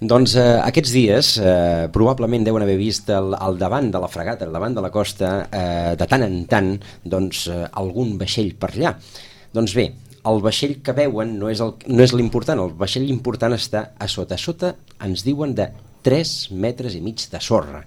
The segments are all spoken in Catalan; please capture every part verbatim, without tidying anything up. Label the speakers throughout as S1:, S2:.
S1: Doncs eh, aquests dies eh, probablement deuen haver vist al, al davant de la fregata, al davant de la costa, eh, de tant en tant, doncs, eh, algun vaixell per allà. Doncs bé, el vaixell que veuen no és, el, no és l'important, el vaixell important està a sota. A sota ens diuen de tres metres i mig de sorra.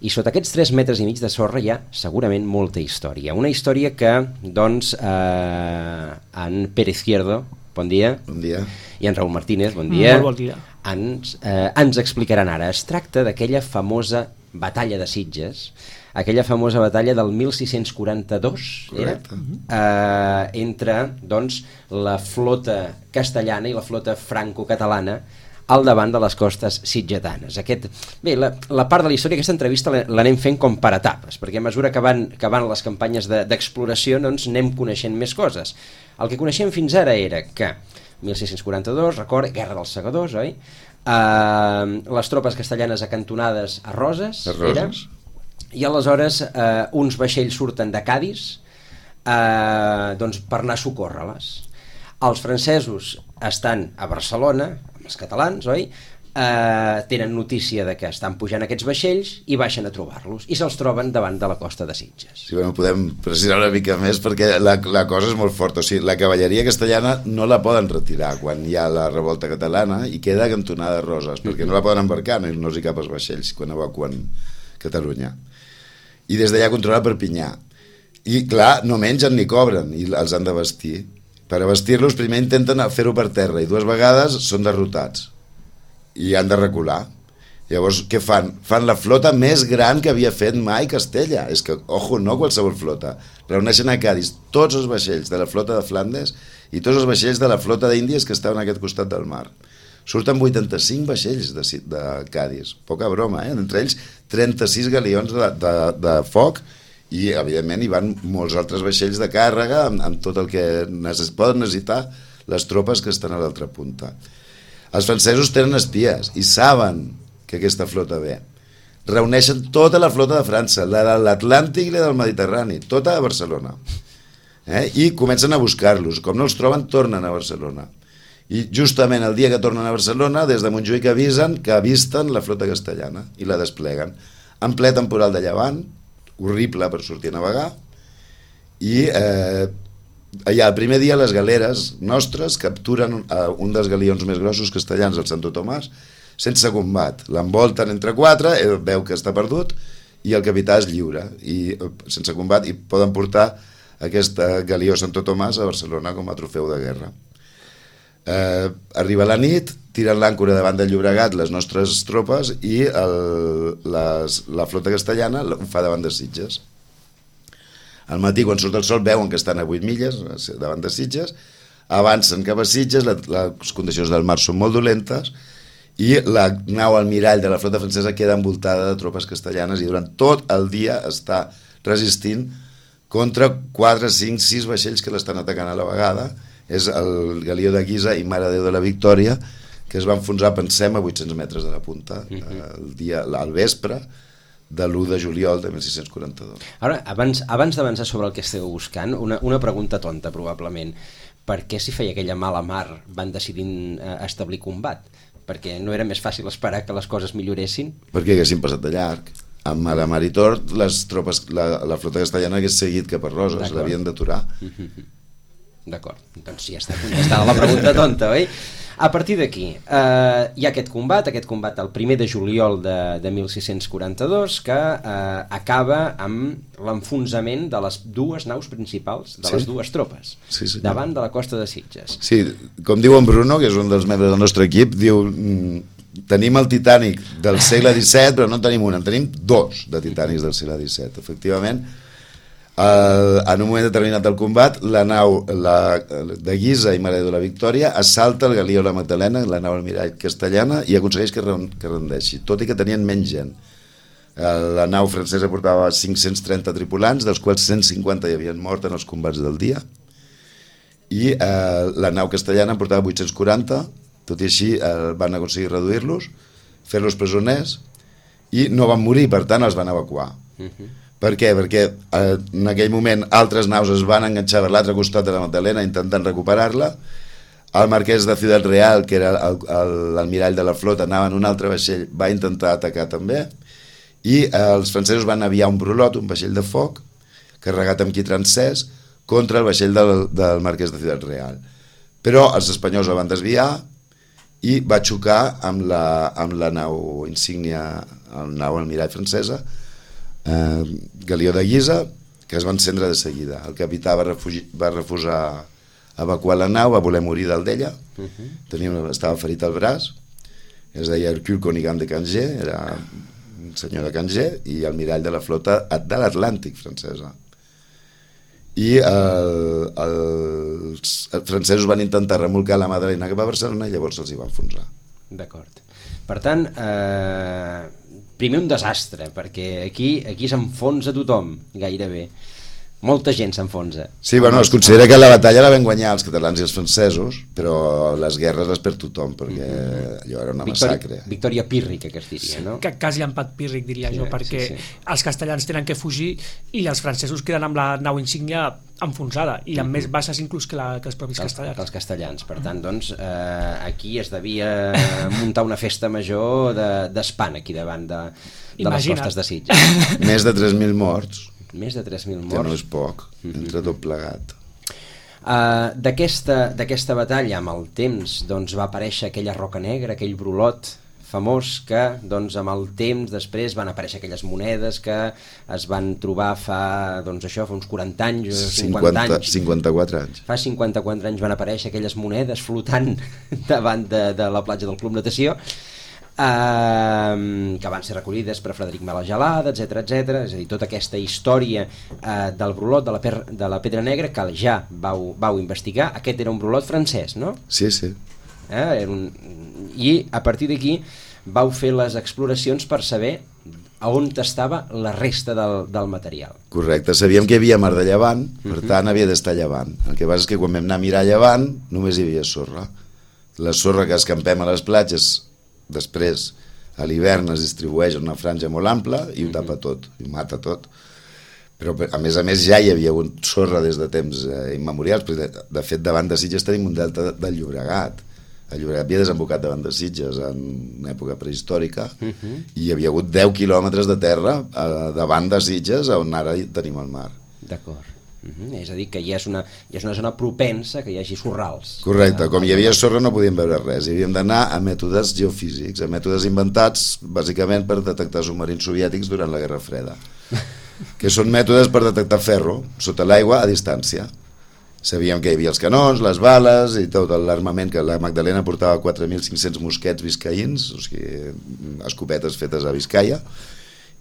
S1: I sota aquests tres metres i mig de sorra hi ha segurament molta història. Una història que, doncs, eh, en Pere Izquierdo, bon dia,
S2: bon dia,
S1: i en Raúl Martínez, bon dia,
S3: Molt bon dia.
S1: ens, eh, ens explicaran ara. Es tracta d'aquella famosa batalla de Sitges, aquella famosa batalla del mil sis-cents quaranta-dos, era? Eh, entre, doncs, la flota castellana i la flota franco-catalana al davant de les costes sitgetanes. Aquest, bé, la, la part de la història, aquesta entrevista l'anem fent com per etapes, perquè a mesura que van, que van les campanyes d'exploració, doncs anem coneixent més coses. El que coneixem fins ara era que mil sis-cents quaranta-dos, record, Guerra dels Segadors, oi? Uh, les tropes castellanes acantonades a Roses,
S2: a Roses.
S1: Era, i aleshores uh, uns vaixells surten de Cadis uh, doncs, per anar a socórrer-les. Els francesos estan a Barcelona, amb els catalans, oi? Uh, tenen notícia de que estan pujant aquests vaixells i baixen a trobar-los i se'ls troben davant de la costa de Sitges.
S2: Sí, bueno, podem precisar una mica més perquè la, la cosa és molt forta. O sigui, la cavalleria castellana no la poden retirar quan hi ha la revolta catalana i queda cantonada a Roses, perquè no la poden embarcar, no, no hi cap els vaixells quan evacuen Catalunya. I des d'allà controla Perpinyà. I clar, no mengen ni cobren i els han de vestir. Per vestir-los primer intenten fer-ho per terra i dues vegades són derrotats i han de recular. Llavors, què fan? Fan la flota més gran que havia fet mai Castella. És que, ojo, no qualsevol flota. Reuneixen a Cadis tots els vaixells de la flota de Flandes i tots els vaixells de la flota d'Índies que estaven a aquest costat del mar. Surten vuitanta-cinc vaixells de, de Cadis. Poca broma, eh? Entre ells trenta-sis galions de, de, de foc i, evidentment, hi van molts altres vaixells de càrrega amb, amb tot el que necess poden necessitar les tropes que estan a l'altra punta. Els francesos tenen espies i saben que aquesta flota ve. Reuneixen tota la flota de França, la de l'Atlàntic i la del Mediterrani, tota a Barcelona. Eh? I comencen a buscar-los. Com no els troben, tornen a Barcelona. I justament el dia que tornen a Barcelona, des de Montjuïc avisen que avisten la flota castellana i la despleguen. En ple temporal de llevant, horrible per sortir a navegar, i eh, allà el primer dia les galeres nostres capturen uh, un dels galions més grossos castellans, el Santo Tomàs, sense combat. L'envolten entre quatre, ell veu que està perdut i el capità és lliure i uh, sense combat, i poden portar aquest uh, galió Santo Tomàs a Barcelona com a trofeu de guerra. Uh, arriba la nit, tiren l'àncora davant del Llobregat les nostres tropes i el, les, la flota castellana ho fa davant de Sitges. Al matí, quan surt el sol, veuen que estan a vuit milles davant de Sitges, avancen cap a Sitges, la, les condicions del mar són molt dolentes i la nau almirall de la flota francesa queda envoltada de tropes castellanes i durant tot el dia està resistint contra quatre, cinc, sis vaixells que l'estan atacant a la vegada. És el galió de Guisa i Mare de Déu de la Victòria, que es va enfonsar, pensem, a vuit-cents metres de la punta el dia, al vespre de l'u de juliol de mil sis-cents quaranta-dos.
S1: Ara, abans, abans d'avançar sobre el que esteu buscant, una, una pregunta tonta, probablement. Per què, si feia aquella mala mar, van decidir eh, establir combat? Perquè no era més fàcil esperar que les coses milloressin?
S2: Perquè haguessin passat de llarg. Amb la mar i tort, les tropes, la, la flota castellana hagués seguit cap a Roses, l'havien d'aturar.
S1: D'acord, doncs ja està contestada la pregunta tonta, oi? A partir d'aquí, eh, hi ha aquest combat, aquest combat el primer de juliol de, de mil sis-cents quaranta-dos, que eh, acaba amb l'enfonsament de les dues naus principals, de sí? les dues tropes,
S2: sí, sí,
S1: davant de la costa de Sitges.
S2: Sí, com diu en Bruno, que és un dels membres del nostre equip, diu, tenim el Titanic del segle disset, però no en tenim un, en tenim dos de Titanics del segle disset. Efectivament, Uh, en un moment determinat del combat, la nau la, de Guisa i Mare de la Victòria assalta el galió La Magdalena, la nau almirall castellana, i aconsegueix que, que rendeixi, tot i que tenien menys gent. Uh, la nau francesa portava cinc-cents trenta tripulants, dels quals cent cinquanta hi havien mort en els combats del dia, i uh, la nau castellana en portava vuit-cents quaranta, tot i així uh, van aconseguir reduir-los, fer-los presoners, i no van morir, per tant els van evacuar. Uh-huh. Per què? Perquè eh, en aquell moment altres naus es van enganxar per l'altre costat de la Magdalena intentant recuperar-la. el marquès de Ciudad Real, que era l'almirall de la flota, anava en un altre vaixell, va intentar atacar també, i els francesos van aviar un brulot, un vaixell de foc, carregat amb quitrancès, contra el vaixell del, del marquès de Ciudad Real. Però els espanyols el van desviar i va xocar amb la, amb la nau insígnia, el nau almirall francesa, eh, Galió de Guisa, que es va encendre de seguida. El capità va, refugi, va refusar evacuar la nau, va voler morir dalt d'ella, uh-huh. Tenia una, estava ferit al braç, es deia Hercule Conigan de Canger, era un senyor de Canger, i almirall de la flota de l'Atlàntic francesa. I el, el, els, els francesos van intentar remolcar la Madalena cap a Barcelona i llavors els hi va enfonsar.
S1: D'acord. Per tant, eh, primer un desastre, perquè aquí, aquí s'enfonsa tothom, gairebé. Molta gent s'enfonsa.
S2: Sí, bueno, es considera que la batalla la van guanyar els catalans i els francesos, però les guerres les perd tothom, perquè allò era una massacre.
S1: Victòria, victòria pírrica, que es diria, no?
S3: Que quasi empat pírric, diria sí, jo, perquè sí, sí. Els castellans tenen que fugir i els francesos queden amb la nau insígnia enfonsada, i amb mm-hmm. més baixes inclús que, la, que els propis
S1: els,
S3: castellans.
S1: Que els castellans. Per tant, doncs, eh, aquí es devia muntar una festa major d'espant, aquí davant de, de les costes de Sitges.
S2: Més de tres mil morts.
S1: Més de tres mil morts.
S2: Que no és poc, entre tot plegat.
S1: Uh, D'aquesta batalla, amb el temps, doncs, va aparèixer aquella roca negra, aquell brulot famós que, doncs, amb el temps després van aparèixer aquelles monedes que es van trobar fa, doncs, això, fa uns quaranta anys, cinquanta anys.
S2: cinquanta-quatre anys.
S1: Fa cinquanta-quatre anys van aparèixer aquelles monedes flotant davant de, de la platja del Club Natació, Uh, que van ser recollides per Frederic Mala Gelada, etc etc. És a dir, tota aquesta història uh, del brulot de la, per, de la Pedra Negra que ja vau, vau investigar. Aquest era un brulot francès, no?
S2: Sí, sí.
S1: Eh? Era un... I a partir d'aquí vau fer les exploracions per saber a on estava la resta del, del material.
S2: Correcte, sabíem que hi havia mar de llevant, per uh-huh. tant havia d'estar llevant. El que passa és que quan vam anar a mirar llevant només hi havia sorra. La sorra que escampem a les platges després a l'hivern es distribueix en una franja molt ampla i ho tapa tot, i ho mata tot, però a més a més ja hi havia hagut sorra des de temps eh, immemorials, perquè de, de fet davant de Sitges tenim un delta del Llobregat. El Llobregat havia desembocat davant de Sitges en una època prehistòrica uh-huh. i hi havia hagut deu quilòmetres de terra eh, davant de Sitges on ara tenim el mar.
S1: D'acord. Uh-huh. És a dir, que ja és, una, ja és una zona propensa que hi hagi sorrals.
S2: Correcte, com hi havia sorra no podíem veure res, hi havíem d'anar a mètodes geofísics, a mètodes inventats bàsicament per detectar submarins soviètics durant la Guerra Freda, que són mètodes per detectar ferro sota l'aigua a distància. Sabíem que hi havia els canons, les bales i tot l'armament, que la Magdalena portava quatre mil cinc-cents mosquets biscaïns, o sigui, escopetes fetes a Biscaia,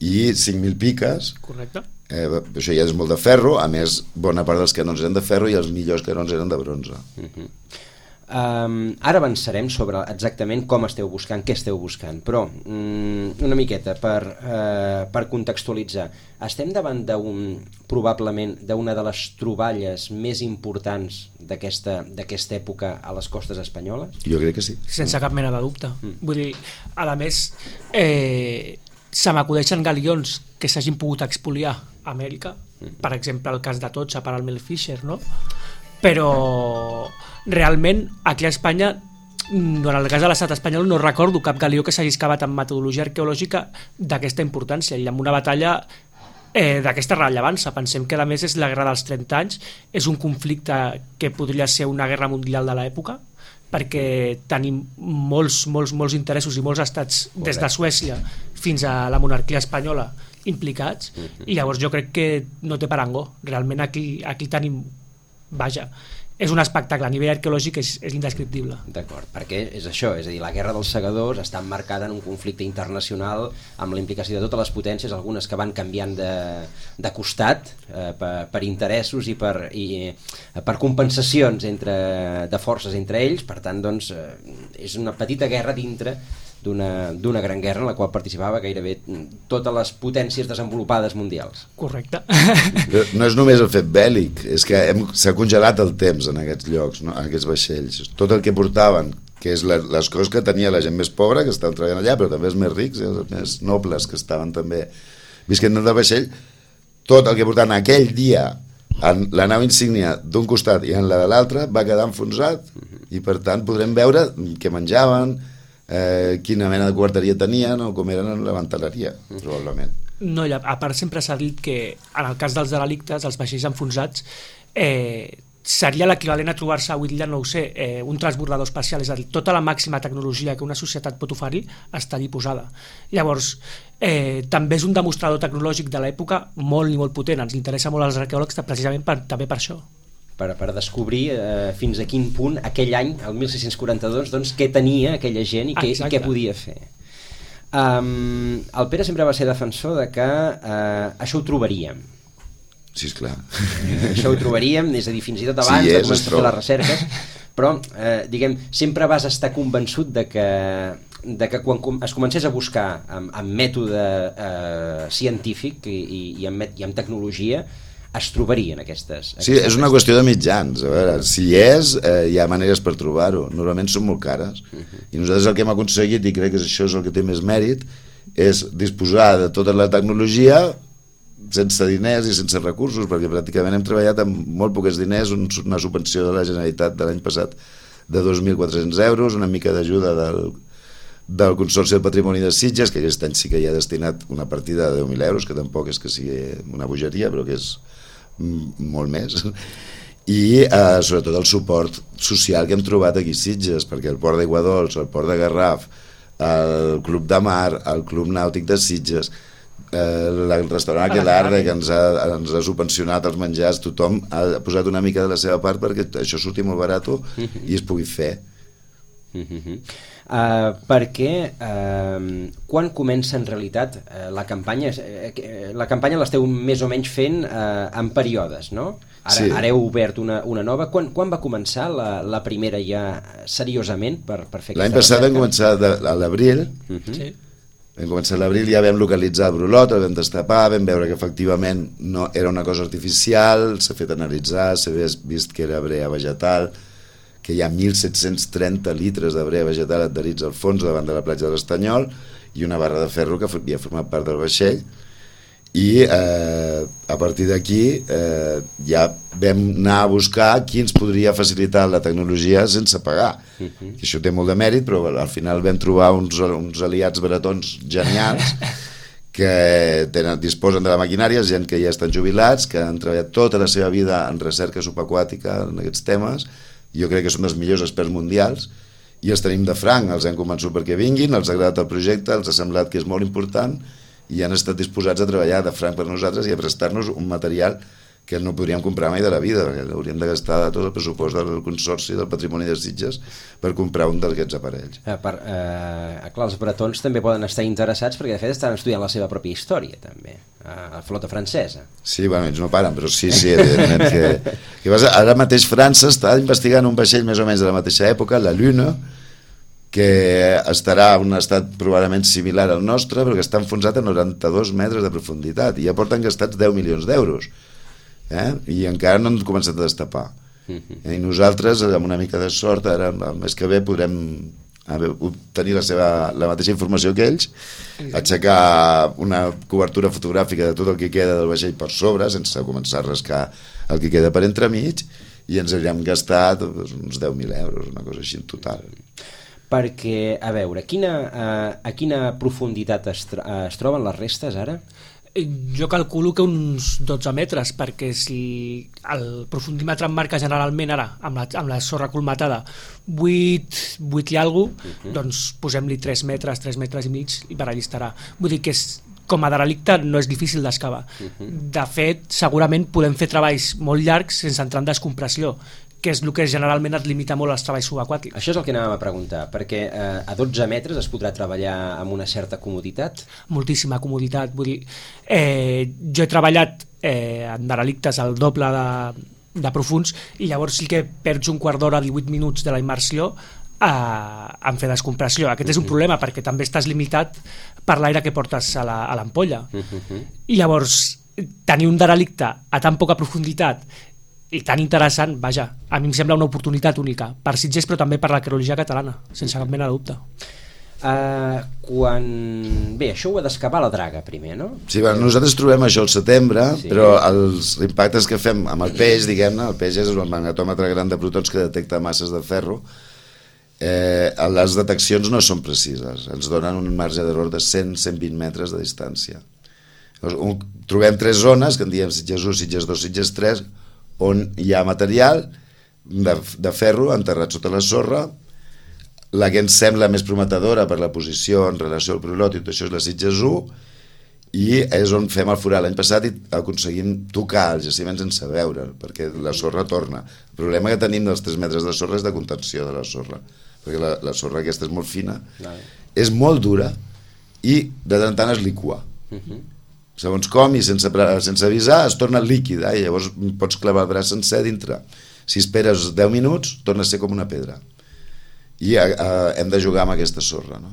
S2: i cinc mil piques.
S3: Correcte.
S2: Eh, això ja és molt de ferro, a més bona part dels canons eren de ferro i els millors canons eren de bronze.
S1: Uh-huh. um, ara avançarem sobre exactament com esteu buscant, què esteu buscant, però um, una miqueta per, uh, per contextualitzar, estem davant d'un, probablement d'una de les troballes més importants d'aquesta d'aquesta època a les costes espanyoles?
S2: Jo crec que sí.
S3: Sense cap mena de dubte. Mm. Vull dir, a més eh, se m'acudeixen galions que s'hagin pogut expoliar a Amèrica, mm-hmm. per exemple el cas de Totxa per al Mel Fisher, no? Però realment aquí a Espanya, en el cas de l'estat espanyol, no recordo cap galió que s'hagi excavat amb metodologia arqueològica d'aquesta importància i amb una batalla eh, d'aquesta rellevància. Pensem que a més és la guerra dels trenta anys, és un conflicte que podria ser una guerra mundial de l'època, perquè tenim molts, molts, molts interessos i molts estats, correcte, des de Suècia fins a la monarquia espanyola implicats, uh-huh. i llavors jo crec que no té parangó. Realment aquí, aquí tenim, vaja, és un espectacle a nivell arqueològic, és, és indescriptible.
S1: D'acord, perquè és això, és a dir, la guerra dels segadors està emmarcada en un conflicte internacional amb la implicació de totes les potències, algunes que van canviant de, de costat eh, per, per interessos i per, i, eh, per compensacions entre, de forces entre ells. Per tant, doncs, eh, és una petita guerra dintre d'una d'una gran guerra en la qual participava gairebé totes les potències desenvolupades mundials.
S3: Correcte.
S2: No és només el fet bèl·lic, és que hem, s'ha congelat el temps en aquests llocs, no? En aquests vaixells. Tot el que portaven, que és la, les coses que tenia la gent més pobra, que estaven treballant allà, però també els més rics, els més nobles, que estaven també visquent del vaixell, tot el que portaven aquell dia en la nau insígnia d'un costat i en la de l'altre va quedar enfonsat, I per tant podrem veure què menjaven, eh, quina mena de quarteria tenien o com eren en la manteleria, probablement.
S3: No, a part sempre s'ha dit que en el cas dels derelictes, els vaixells enfonsats, eh, seria l'equivalent a trobar-se avui dia, no ho sé, eh, un transbordador espacial, és a dir, tota la màxima tecnologia que una societat pot oferir està allí posada. Llavors, eh, també és un demostrador tecnològic de l'època molt i molt potent, ens interessa molt als arqueòlegs precisament per, també per això.
S1: Per, per descobrir eh, fins a quin punt aquell any, el mil sis-cents quaranta-dos, doncs, què tenia aquella gent i què, i què podia fer. Um, el Pere sempre va ser defensor de que uh, això ho trobaríem.
S2: Sí, esclar.
S1: Eh, això ho trobaríem, és a dir, fins i tot abans sí, de començar a fer les recerques, però, eh, diguem, sempre vas estar convençut de que, de que quan es comencés a buscar amb, amb mètode eh, científic i, i, i, amb, i amb tecnologia, es trobarien aquestes... aquestes
S2: sí, és una qüestió de mitjans. A veure, si hi és, eh, hi ha maneres per trobar-ho. Normalment són molt cares. Uh-huh. I nosaltres el que hem aconseguit, i crec que això és el que té més mèrit, és disposar de tota la tecnologia sense diners i sense recursos, perquè pràcticament hem treballat amb molt pocs diners, una subvenció de la Generalitat de l'any passat de dos mil quatre-cents euros, una mica d'ajuda del, del Consorci del Patrimoni de Sitges, que aquest any sí que hi ha destinat una partida de deu mil euros, que tampoc és que sigui una bogeria, però que és molt més, i eh, sobretot el suport social que hem trobat aquí a Sitges, perquè el Port d'Aiguadols, el Port de Garraf, el Club de Mar, el Club Nàutic de Sitges, eh, el restaurant Aquelarre, que ens ha, ens ha subvencionat els menjars, tothom ha posat una mica de la seva part perquè això surti molt barat i es pugui fer.
S1: Uh-huh. Uh, perquè uh, quan comença en realitat uh, la campanya uh, la campanya l'esteu més o menys fent uh, en períodes, no? Ara, sí. Ara heu obert una, una nova. Quan, quan va començar la, la primera ja seriosament per, per fer aquesta
S2: L'any passat vam començar de, a l'abril. Uh-huh. Sí. Vam començar a l'abril, ja vam localitzar el brolot, el vam destapar, vam veure que efectivament no, era una cosa artificial, s'ha fet analitzar, s'ha vist que era brea vegetal, que hi ha mil set-cents trenta litres de brea vegetal adherits al fons davant de la platja de l'Estanyol i una barra de ferro que havia format part del vaixell, i eh, a partir d'aquí eh, ja vam anar a buscar qui ens podria facilitar la tecnologia sense pagar. Uh-huh. Això té molt de mèrit, però al final vam trobar uns, uns aliats baratons genials que tenen, disposen de la maquinària, gent que ja estan jubilats, que han treballat tota la seva vida en recerca subaquàtica en aquests temes. Jo crec que són els millors experts mundials i els tenim de franc, els hem convençut perquè vinguin, els ha agradat el projecte, els ha semblat que és molt important i han estat disposats a treballar de franc per nosaltres i a prestar-nos un material que no podríem comprar mai de la vida, perquè hauríem de gastar tot el pressupost del Consorci del Patrimoni de Sitges per comprar un d'aquests aparells.
S1: Eh, per, eh, clar, els bretons també poden estar interessats perquè de fet estan estudiant la seva pròpia història també, a la flota francesa.
S2: Sí, bueno, ells no paren, però sí, sí, evidentment que, que vas, ara mateix França està investigant un vaixell més o menys de la mateixa època, la Lune, que estarà en un estat probablement similar al nostre, però que està enfonsat a noranta-dos metres de profunditat i ja porten gastats deu milions d'euros. Eh? I encara no han començat a destapar. Uh-huh. I nosaltres, amb una mica de sort, ara el mes que ve podrem obtenir la, seva, la mateixa informació que ells, aixecar una cobertura fotogràfica de tot el que queda del vaixell per sobre, sense començar a rascar el que queda per entremig, i ens havíem gastat uns deu mil euros, una cosa així en total.
S1: Perquè, a veure, quina, a, a quina profunditat es, es troben les restes ara?
S3: Jo calculo que uns dotze metres, perquè si el profundímetre marca generalment ara, amb la, amb la sorra colmatada, vuit, vuit i alguna cosa, uh-huh. Doncs posem-li tres metres, tres metres i mig i per allà estarà. Vull dir que és, com a derelicte no és difícil d'excavar. Uh-huh. De fet, segurament podem fer treballs molt llargs sense entrar en descompressió, que és el que generalment et limita molt als treballs subaquàtics.
S1: Això és el que anàvem a preguntar, perquè eh, a dotze metres es podrà treballar amb una certa comoditat?
S3: Moltíssima comoditat, vull dir, eh, jo he treballat eh, en derelictes al doble de, de profuns i llavors sí que perds un quart d'hora, divuit minuts de la immersió a, en fer descompressió. Aquest uh-huh. és un problema perquè també estàs limitat per l'aire que portes a l'ampolla. Uh-huh. I llavors tenir un derelicte a tan poca profunditat i tan interessant, vaja, a mi em sembla una oportunitat única per Sitges però també per l'arqueologia catalana, sense cap mena de dubte.
S1: Uh, quan... Bé, això ho ha d'escapar la draga primer, no?
S2: Sí, bueno, nosaltres trobem això al setembre, sí. Però els impactes que fem amb el peix, diguem-ne, el peix és el magnetòmetre gran de protons que detecta masses de ferro, eh, les deteccions no són precises, ens donen un marge d'error de cent a cent vint metres de distància. Llavors, un, trobem tres zones, que en diem Sitges u, Sitges dos, Sitges tres, on hi ha material de, de ferro enterrat sota la sorra. La que ens sembla més prometedora per la posició en relació al prolòtit, això és la Sitges u, i és on fem el forat. L'any passat i aconseguim tocar els jaciments sense veure, perquè la sorra torna. El problema que tenim dels tres metres de sorra és de contenció de la sorra, perquè la, la sorra aquesta és molt fina, no. És molt dura i de tant en tant es liqua. Uh-huh. Segons com i sense, sense avisar es torna líquida i llavors pots clavar el braç sencer dintre. Si esperes deu minuts torna a ser com una pedra. I a, a, hem de jugar amb aquesta sorra, no?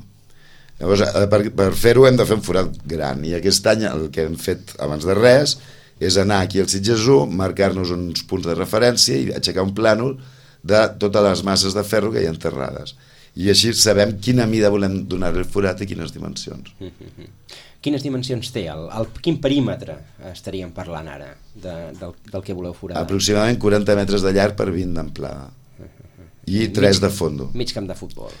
S2: Llavors, a, per, per fer-ho hem de fer un forat gran, i aquest any el que hem fet abans de res és anar aquí al Sitges u, marcar-nos uns punts de referència i aixecar un plànol de totes les masses de ferro que hi ha enterrades, i així sabem quina mida volem donar al forat i quines dimensions.
S1: Mm-hmm. Quines dimensions té? El, el, quin perímetre estaríem parlant ara de, del, del que voleu foradar?
S2: Aproximadament quaranta metres de llarg per vint d'amplada. I tres de fondo.
S1: Mig camp de futbol.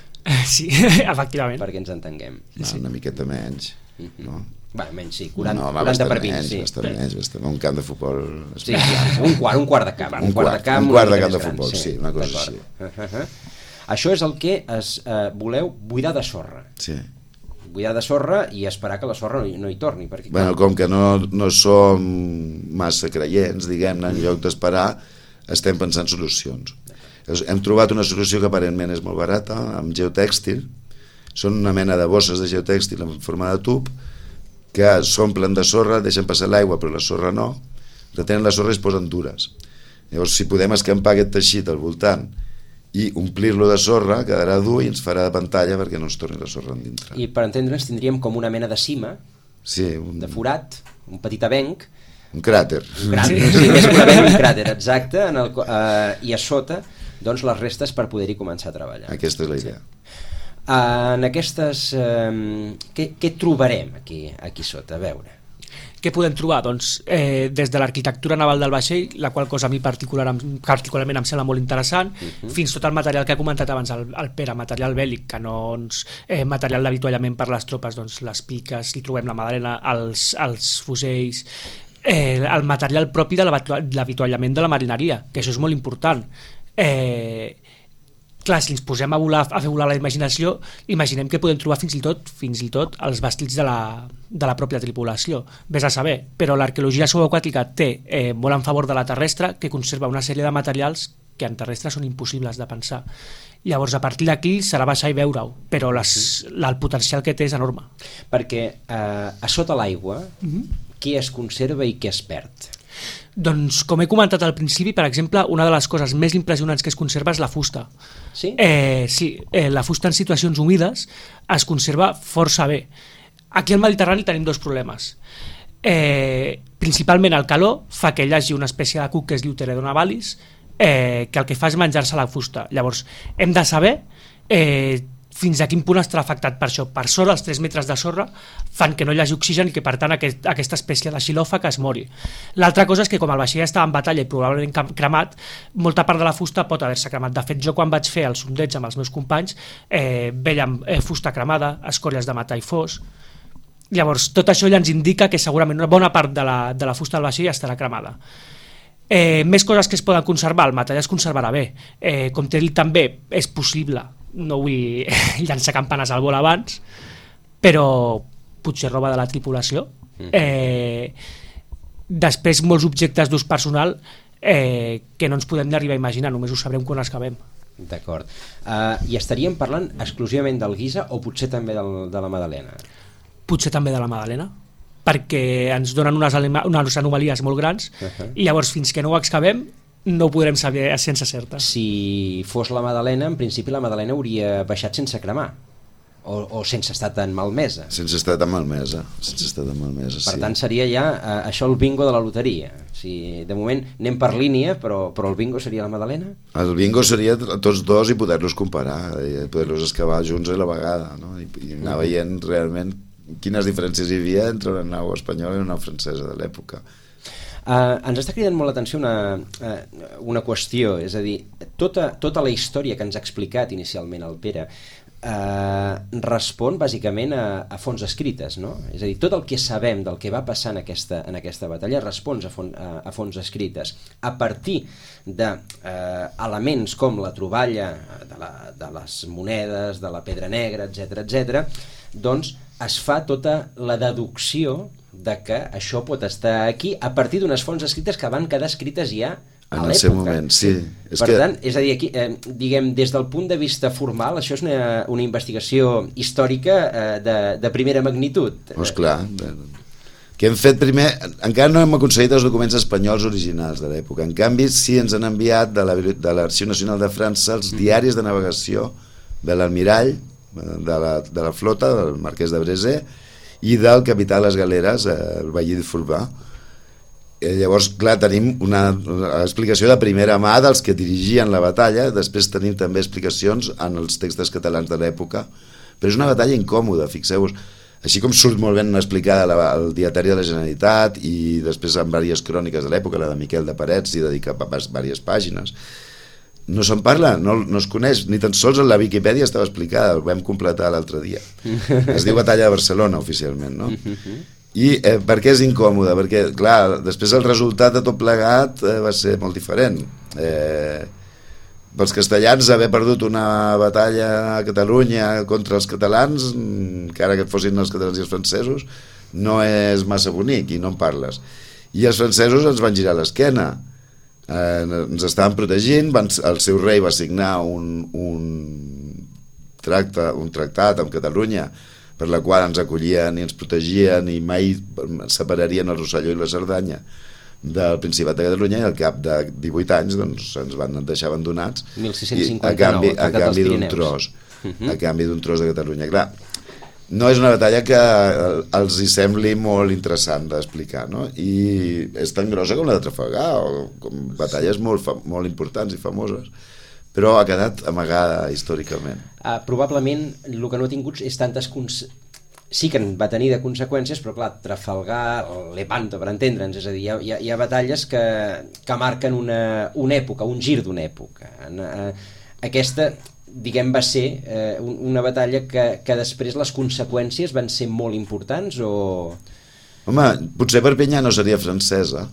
S3: Sí, efectivament.
S1: Perquè ens entenguem.
S2: No, una miqueta menys. No?
S1: Bé, menys sí, quaranta,
S2: no,
S1: quaranta per vint.
S2: Menys,
S1: sí.
S2: Bastant menys, bastant. Un camp de futbol...
S1: Sí, un quart, un quart de camp.
S2: Un, un quart, de camp, un quart de camp de futbol, gran, sí, una cosa així.
S1: Uh -huh. Això és el que es, uh, voleu buidar de sorra.
S2: Sí.
S1: Buidar de sorra i esperar que la sorra no hi, no hi torni. Perquè,
S2: bueno, com que no, no som massa creients, diguem-ne, en lloc d'esperar, estem pensant solucions. Hem trobat una solució que aparentment és molt barata, amb geotèxtil. Són una mena de bosses de geotèxtil en forma de tub que s'omplen de sorra, deixen passar l'aigua però la sorra no, retenen la sorra i es posen dures. Llavors, si podem escampar aquest teixit al voltant i omplir-lo de sorra, quedarà dur i ens farà de pantalla perquè no ens torni la sorra endintre.
S1: I per entendre'ns tindríem com una mena de cima,
S2: sí, un...
S1: de forat, un petit avenc,
S2: un cràter.
S1: Un cràter, sí, sí, més que un avenc, un cràter, exacte, en el, eh, i a sota doncs les restes per poder-hi començar a treballar.
S2: Aquesta és la idea.
S1: Sí. Uh, en aquestes... Uh, què, què trobarem aquí, aquí sota? A veure.
S3: Què podem trobar? Doncs eh, des de l'arquitectura naval del vaixell, la qual cosa a mi particular, particularment em sembla molt interessant, uh-huh. fins tot el material que ha comentat abans el, el Pere, material bèl·lic, canons, eh, material d'avituallament per les tropes, doncs les piques, hi trobem la Madalena, els, els fusells, eh, el material propi de l'avituallament de la marineria, que això és molt important. Eh, clar, si ens posem a, volar, a fer volar la imaginació, imaginem que podem trobar fins i tot fins i tot els vestits de la, de la pròpia tripulació, vés a saber, però l'arqueologia subaquàtica té eh, molt en favor de la terrestre, que conserva una sèrie de materials que en terrestre són impossibles de pensar. Llavors, a partir d'aquí serà baixar i veure-ho, però les, uh-huh. el potencial que té és enorme.
S1: Perquè eh, a sota l'aigua, uh-huh. què es conserva i què es perd?
S3: Doncs, com he comentat al principi, per exemple, una de les coses més impressionants que es conserva és la fusta.
S1: Sí?
S3: Eh, sí, eh, la fusta en situacions humides es conserva força bé. Aquí al Mediterrani tenim dos problemes. Eh, principalment el calor fa que hi hagi una espècie de cuc que es diu Teredona navalis, eh, que el que fa és menjar-se la fusta. Llavors, hem de saber eh, fins a quin punt estarà afectat per això. Per sort, els tres metres de sorra fan que no hi hagi oxigen i que, per tant, aquest, aquesta espècie de xilòfaga es mori. L'altra cosa és que, com el vaixell estava en batalla i probablement cremat, molta part de la fusta pot haver-se cremat. De fet, jo quan vaig fer el sondeig amb els meus companys, eh, vèiem eh, fusta cremada, escòries de metall fos. Llavors, tot això ja ens indica que segurament una bona part de la, de la fusta del vaixell estarà cremada. Eh, més coses que es poden conservar, el metall es conservarà bé. Eh, com t'he dit també, és possible, no vull llançar campanes al vol abans, però potser roba de la tripulació. Eh, després, molts objectes d'ús personal eh, que no ens podem arribar a imaginar, només ho sabrem quan els acabem.
S1: D'acord. Uh, I estaríem parlant exclusivament del Guisa o potser també del, de la Madalena?
S3: Potser també de la Madalena, perquè ens donen unes, unes anomalies molt grans, uh-huh. i llavors fins que no ho excavem no ho podrem saber sense certa.
S1: Si fos la Madalena, en principi la Madalena hauria baixat sense cremar. o, o sense estar tan malmesa.
S2: Sense estar tan malmesa, sense estar tan malmesa,
S1: Per
S2: sí.
S1: tant, seria ja uh, això el bingo de la loteria. O sigui, de moment anem per línia, però, però el bingo seria la Madalena?
S2: El bingo seria tots dos i poder-los comparar, i poder-los excavar junts a la vegada, no? I, i anar veient realment quines diferències hi havia entre una nau espanyola i una nau francesa de l'època.
S1: Uh, ens està cridant molt l'atenció una, uh, una qüestió, és a dir, tota, tota la història que ens ha explicat inicialment el Pere uh, respon bàsicament a, a fonts escrites, no? És a dir, tot el que sabem del que va passar en aquesta, en aquesta batalla respon a, font, a, a fonts escrites a partir d'elements uh, com la troballa de, la, de les monedes, de la pedra negra, etcètera, etcètera, doncs es fa tota la deducció de que això pot estar aquí a partir d'unes fonts escrites que van quedar escrites ja a
S2: en
S1: l'època.
S2: el seu moment, sí. És
S1: per
S2: que...
S1: tant, és a dir, aquí, eh, diguem, des del punt de vista formal, això és una, una investigació històrica eh, de, de primera magnitud.
S2: Oh, esclar. Que hem fet primer... Encara no hem aconseguit els documents espanyols originals de l'època. En canvi, sí ens han enviat de l'Arxiu Nacional de França els diaris de navegació de l'almirall, de la, de la flota, del marquès de Brézé, i del capità de les galeres, el Bailly de Fulbà. Eh, llavors, clar, tenim una, una explicació de primera mà dels que dirigien la batalla, després tenim també explicacions en els textos catalans de l'època, però és una batalla incòmoda, fixeu-vos. Així com surt molt ben explicada la, el dietari de la Generalitat i després en diverses cròniques de l'època, la de Miquel de Parets, i dedica a diverses pàgines, no se'n parla, no, no es coneix, ni tan sols en la Viquipèdia estava explicada, el vam completar l'altre dia. Es diu Batalla de Barcelona, oficialment, no? I eh, per què és incòmode? Perquè, clar, després el resultat de tot plegat eh, va ser molt diferent. Eh, pels castellans, haver perdut una batalla a Catalunya contra els catalans, encara que fossin els catalans i els francesos, no és massa bonic i no en parles. I els francesos ens van girar l'esquena. Eh, ens estaven protegint, van, el seu rei va signar un, un, tracte, un tractat amb Catalunya per la qual ens acollien i ens protegien i mai separarien el Rosselló i la Cerdanya del Principat de Catalunya, i al cap de divuit anys doncs, ens van deixar abandonats
S1: mil sis-cents cinquanta-nou,
S2: a canvi, a canvi d'un tros uh-huh. a canvi d'un tros de Catalunya. Clar, no és una batalla que els hi sembli molt interessant d'explicar, no? I és tan grossa com la de Trafalgar, o com batalles molt, molt importants i famoses, però ha quedat amagada històricament.
S1: Uh, probablement el que no ha tingut és tantes... Cons... Sí que en va tenir de conseqüències, però clar, Trafalgar, Lepanto, per entendre'ns, és a dir, hi ha, hi ha, hi ha batalles que, que marquen una, una època, un gir d'una època. Uh, aquesta... diguem, va ser eh, una batalla que, que després les conseqüències van ser molt importants o...
S2: Home, potser Perpinyà no seria francesa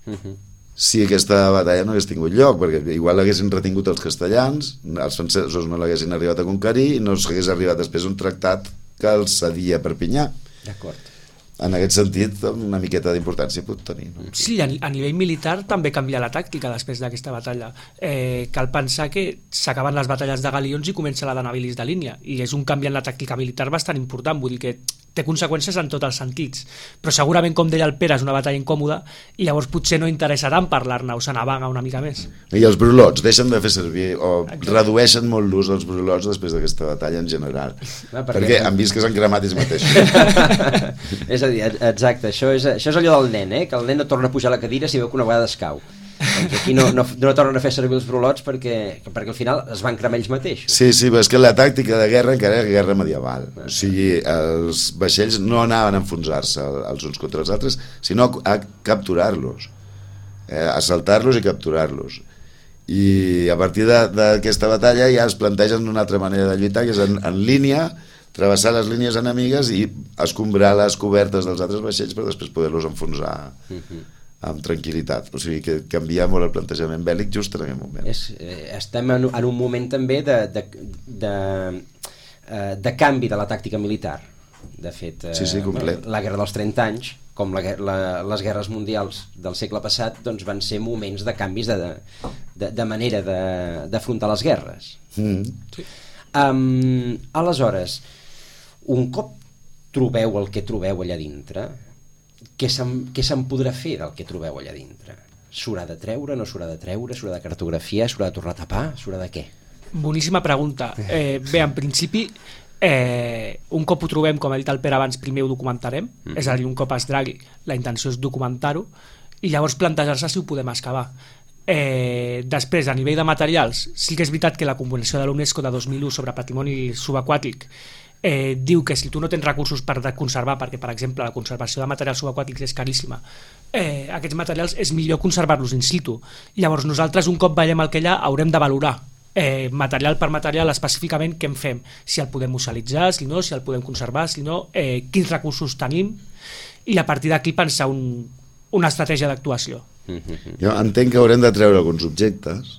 S2: uh-huh. si aquesta batalla no hagués tingut lloc, perquè igual l'haguessin retingut els castellans, els francesos no l'haguessin arribat a conquerir i no s'hagués arribat després un tractat que els cedia Perpinyà.
S1: D'acord.
S2: En aquest sentit, una miqueta d'importància pot tenir. No?
S3: Sí, a, a nivell militar també canvia la tàctica després d'aquesta batalla. Eh, cal pensar que s'acaben les batalles de galions i comença la de navilis de línia, i és un canvi en la tàctica militar bastant important, vull dir que té conseqüències en tots els sentits, però segurament, com deia el Pere, és una batalla incòmoda i llavors potser no interessa tant parlar-ne o se n'avaga una mica més.
S2: I els brulots deixen de fer servir o Exacte. redueixen molt l'ús dels brulots després d'aquesta batalla en general, ah, perquè, perquè han vist que s'han cremat ells mateixos.
S1: És a dir, exacte, això és, això és allò del nen, eh? Que el nen no torna a pujar a la cadira si veu que una vegada es cau. Doncs aquí no, no, no tornen a fer servir els brulots perquè, perquè al final es van cremar ells mateixos.
S2: Sí, sí, però és que la tàctica de guerra encara era guerra medieval. O sigui, els vaixells no anaven a enfonsar-se els uns contra els altres, sinó a capturar-los, eh, assaltar-los i capturar-los. I a partir d'aquesta batalla ja es plantegen una altra manera de lluitar, que és en, en línia, travessar les línies enemigues i escombrar les cobertes dels altres vaixells per després poder-los enfonsar. Uh-huh. Amb tranquil·litat, o sigui que canvia molt el plantejament bèl·lic just en aquest moment.
S1: És, eh, estem en, en un moment també de, de, de, eh, de canvi de la tàctica militar. De fet, eh,
S2: sí, sí, complet.
S1: La guerra dels trenta anys, com la, la, les guerres mundials del segle passat, doncs van ser moments de canvis de, de, de manera d'afrontar les guerres.
S2: Mm.
S1: Sí. Um, aleshores, un cop trobeu el que trobeu allà dintre, què se'n, què se'n podrà fer del que trobeu allà dintre? S'haurà de treure, no s'haurà de treure, s'haurà de cartografiar, s'haurà de tornar a tapar, s'haurà de què?
S3: Boníssima pregunta. Eh, bé, en principi, Eh, un cop ho trobem, com ha dit el Pere abans, primer ho documentarem, mm. és a dir, un cop es dragui, la intenció és documentar-ho i llavors plantejar-se si ho podem excavar. Eh, després, a nivell de materials, sí que és veritat que la Convenció de l'UNESCO de dos mil u sobre patrimoni subaquàtic eh, diu que si tu no tens recursos per conservar, perquè per exemple la conservació de materials subaquàtics és caríssima, eh, aquests materials és millor conservar-los in situ. Llavors nosaltres, un cop veiem el que hi ha, haurem de valorar eh, material per material específicament què en fem, si el podem musealitzar, si no, si el podem conservar, si no, eh, quins recursos tenim, i a partir d'aquí pensar un, una estratègia d'actuació.
S2: Jo entenc que haurem de treure alguns objectes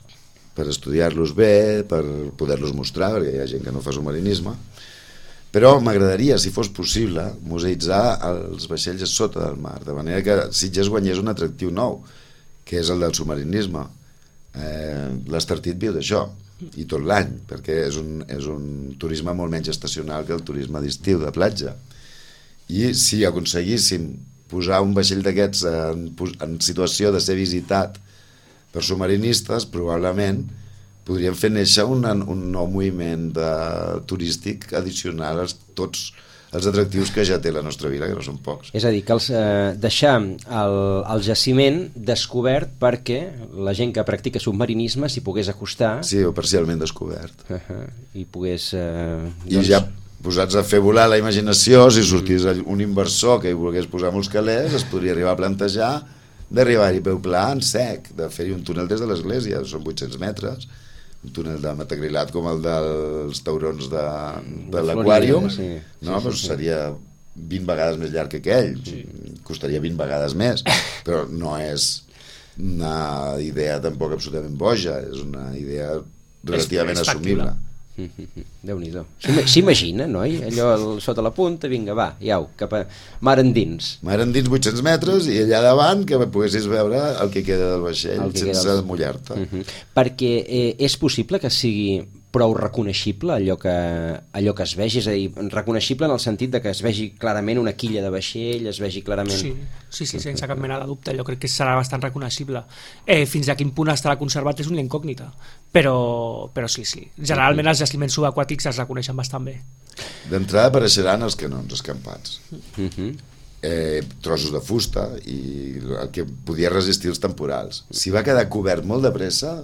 S2: per estudiar-los bé, per poder-los mostrar, perquè hi ha gent que no fa submarinisme, però m'agradaria, si fos possible, museïtzar els vaixells a sota del mar, de manera que Sitges guanyés un atractiu nou, que és el del submarinisme. Eh, L'Estartit viu d'això, i tot l'any, perquè és un, és un turisme molt menys estacional que el turisme d'estiu, de platja. I si aconseguíssim posar un vaixell d'aquests en, en situació de ser visitat per submarinistes, probablement podríem fer néixer un, un nou moviment de, turístic addicional a tots els atractius que ja té la nostra vila, que no són pocs.
S1: És a dir, que els, eh, deixar el, el jaciment descobert perquè la gent que practica submarinisme s'hi pogués acostar.
S2: Sí, o parcialment descobert.
S1: Uh -huh, I pogués... Eh,
S2: I doncs... ja posats a fer volar la imaginació, si sortís un inversor que hi volgués posar molts calés, es podria arribar a plantejar d'arribar-hi peu pla en sec, de fer-hi un túnel des de l'església, són vuit-cents metres, un túnel de metacrilat com el dels taurons de, de l'aquàrium,
S1: sí.
S2: no?
S1: Sí, sí,
S2: sí,
S1: sí.
S2: Seria vint vegades més llarg que aquell, sí. Costaria vint vegades més, però no és una idea tampoc absolutament boja, és una idea relativament
S3: és, és
S2: assumible.
S1: Déu-n'hi-do. S'imagina, noi? Allò sota la punta, vinga, va, iau, cap a mar endins.
S2: Mar endins vuit-cents metres i allà davant que poguessis veure el que queda del vaixell sense
S1: del...
S2: mullar-te.
S1: Uh -huh. Perquè eh, és possible que sigui prou reconeixible allò que, allò que es vegi, és a dir, reconeixible en el sentit de que es vegi clarament una quilla de vaixell, es vegi clarament...
S3: Sí, sí, sí, sense cap mena de dubte, jo crec que serà bastant reconeixible. Eh, fins a quin punt estarà conservat és una incògnita, però, però sí, sí. Generalment els jaciments subaquàtics es reconeixen bastant bé.
S2: D'entrada apareixeran els canons escampats.
S1: Uh -huh.
S2: eh, trossos de fusta i el que podia resistir els temporals. Si va quedar cobert molt de pressa,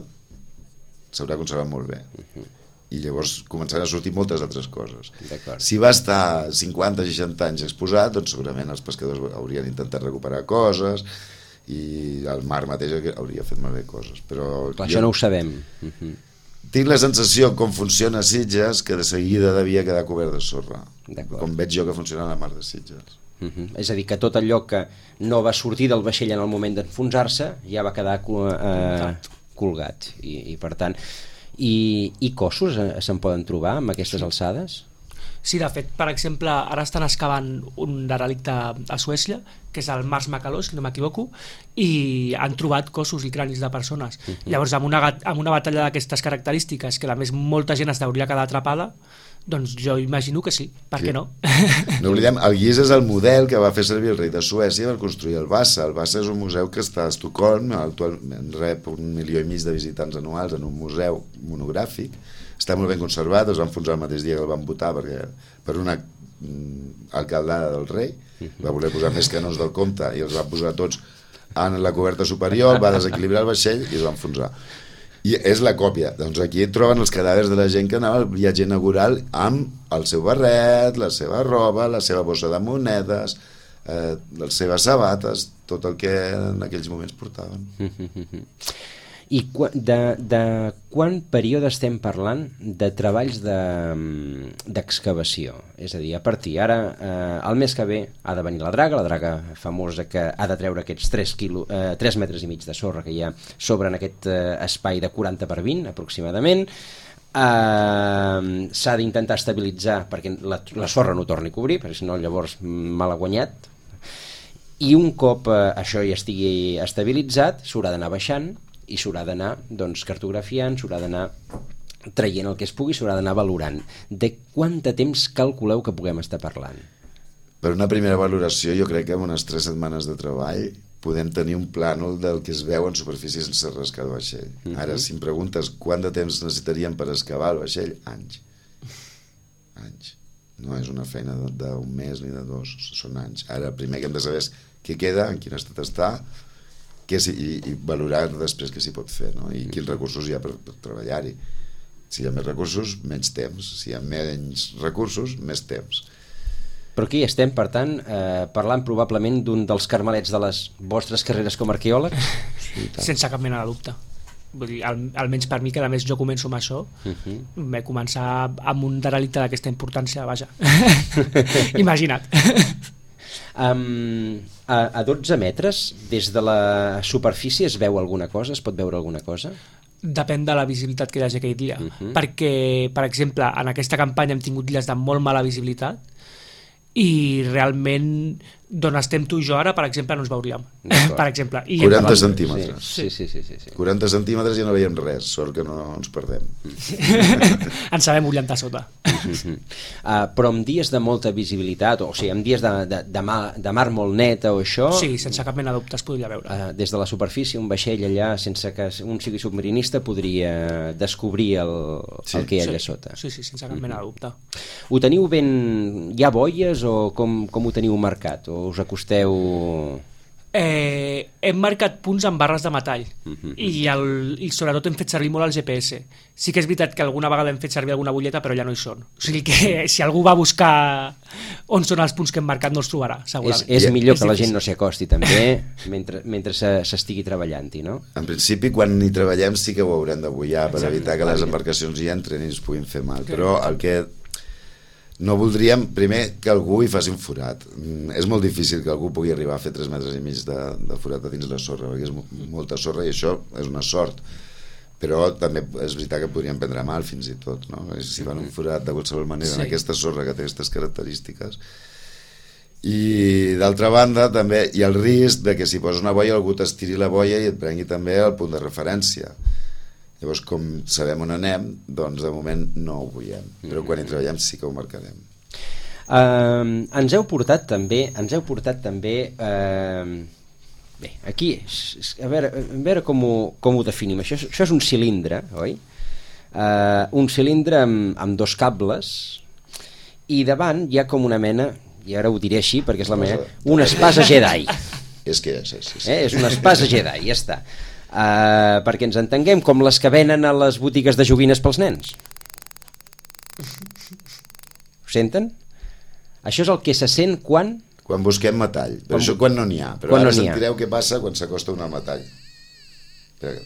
S2: s'haurà conservat molt bé. Uh-huh. I llavors començaran a sortir moltes altres coses. Si va estar cinquanta o seixanta anys exposat, doncs segurament els pescadors haurien intentat recuperar coses i el mar mateix hauria fet malbé coses. Però
S1: clar,
S2: jo
S1: això no ho sabem. Uh-huh.
S2: Tinc la sensació, com funciona a Sitges, que de seguida devia quedar cobert de sorra. Com veig jo que funciona la mar de Sitges.
S1: Uh-huh. És a dir, que tot allò que no va sortir del vaixell en el moment d'enfonsar-se ja va quedar eh, colgat i, i per tant i, i cossos se'n poden trobar amb aquestes sí. alçades?
S3: Sí, de fet, per exemple, ara estan excavant un derelicte a Suècia, que és el Mars Macalós, si no m'equivoco, i han trobat cossos i cranis de persones. Uh-huh. Llavors, amb una, amb una batalla d'aquestes característiques, que a més molta gent es hauria quedat atrapada, doncs jo imagino que sí, per
S2: sí.
S3: què no?
S2: No oblidem, el Guix és el model que va fer servir el rei de Suècia per construir el Vasa. El Vasa és un museu que està a Estocolm, actualment rep un milió i mig de visitants anuals en un museu monogràfic. Està molt ben conservat, es van enfonsar el mateix dia que el van votar perquè, per una mm, alcaldada del rei, va voler posar més canons del compte i els va posar tots en la coberta superior, va desequilibrar el vaixell i es va enfonsar. I és la còpia. Doncs aquí troben els cadàvers de la gent que anava al viatge inaugural amb el seu barret, la seva roba, la seva bossa de monedes, eh, les seves sabates, tot el que en aquells moments portaven.
S1: I de, de quant període estem parlant de treballs d'excavació? De, és a dir, a partir ara, eh, el mes que ve ha de venir la draga, la draga famosa que ha de treure aquests tres, quilo, eh, tres metres i mig de sorra que hi ha sobre en aquest eh, espai de quaranta per vint aproximadament. Eh, s'ha d'intentar estabilitzar perquè la, la sorra no torni a cobrir, perquè si no llavors mal ha guanyat. I un cop eh, això ja estigui estabilitzat, s'haurà d'anar baixant i s'haurà d'anar doncs, cartografiant, s'haurà d'anar traient el que es pugui, s'haurà d'anar valorant. De quant de temps calculeu que puguem estar parlant?
S2: Per una primera valoració, jo crec que en unes tres setmanes de treball podem tenir un plànol del que es veu en superfície sense rascar el vaixell. Uh-huh. Ara, si em preguntes quant de temps necessitaríem per excavar el vaixell, anys. Anys. no és una feina d'un mes ni de dos, són anys. Ara el primer que hem de saber és què queda, en quin estat està, què si, i, i valorar després què s'hi pot fer, no? I quins recursos hi ha per, per treballar-hi. Si hi ha més recursos, menys temps. Si hi ha menys recursos, més temps.
S1: Però aquí estem, per tant, eh, parlant probablement d'un dels carmelets de les vostres carreres com a arqueòleg?
S3: Sí, sense cap mena de dubte. Vull dir, al, almenys per mi, que a més jo començo amb això, uh-huh. Vaig començar amb un derelicte d'aquesta importància, vaja. Imagina't.
S1: Um, a, a dotze metres, des de la superfície es veu alguna cosa? Es pot veure alguna cosa?
S3: Depèn de la visibilitat que hi hagi aquell dia.
S1: Uh-huh.
S3: Perquè, per exemple, en aquesta campanya hem tingut dies de molt mala visibilitat i realment d'on estem tu i jo ara, per exemple, no ens veuríem. Per exemple. I
S2: quaranta centímetres.
S1: Sí, sí, sí, sí, sí.
S2: quaranta centímetres ja no veiem res, sort que no ens perdem.
S3: Ens sabem orientar sota.
S1: Uh, però amb dies de molta visibilitat, o sigui, amb dies de, de, de, mar, de mar molt neta o això...
S3: Sí, sense cap mena de dubte es podria veure.
S1: Uh, des de la superfície, un vaixell allà, sense que un sigui submarinista, podria descobrir el, sí. el que hi ha allà
S3: sí.
S1: sota.
S3: Sí, sí, sense cap mena de dubte.
S1: Ho teniu ben... Hi ha boies o com, com ho teniu marcat? O us acosteu...
S3: Eh, hem marcat punts amb barres de metall
S1: uh-huh.
S3: i, el, i sobretot hem fet servir molt el G P S. Sí que és veritat que alguna vegada hem fet servir alguna butlleta, però ja no hi són. O sigui que si algú va a buscar on són els punts que hem marcat no els trobarà, segurament.
S1: És, és millor
S3: és
S1: que
S3: difícil.
S1: La gent no s'hi acosti també mentre, mentre s'estigui treballant-hi, no?
S2: En principi, quan hi treballem sí que ho haurem de bullar per Exacte. evitar que les embarcacions hi entren i ens puguin fer mal, però el que no voldríem, primer, que algú hi faci un forat. Mm, és molt difícil que algú pugui arribar a fer tres metres i mig de, de forat a dins la sorra, perquè és molta sorra i això és una sort. Però també és veritat que podríem prendre mal fins i tot, no? Si fan un forat de qualsevol manera sí. en aquesta sorra que té aquestes característiques. I d'altra banda també hi ha el risc de que si poses una boia algú t'estiri la boia i et prengui també el punt de referència. Llavors, com sabem on anem, doncs de moment no ho veiem, però quan hi treballem sí que ho marcarem.
S1: Uh, ens heu portat també, ens heu portat també, uh, bé, aquí, a veure, a veure com, ho, com ho definim. Això, això és un cilindre, oi? Uh, un cilindre amb, amb dos cables i davant hi ha com una mena, i ara ho diré així perquè és la meva, una espasa Jedi.
S2: És que és, és, és.
S1: Eh? És una espasa Jedi, ja està. Uh, perquè ens entenguem, com les que venen a les botigues de joguines pels nens. Ho senten? Això és el que se sent quan...
S2: Quan busquem metall, però quan... això quan no n'hi ha. Però
S1: quan
S2: ara
S1: no
S2: sentireu què passa quan s'acosta un al metall. Espera.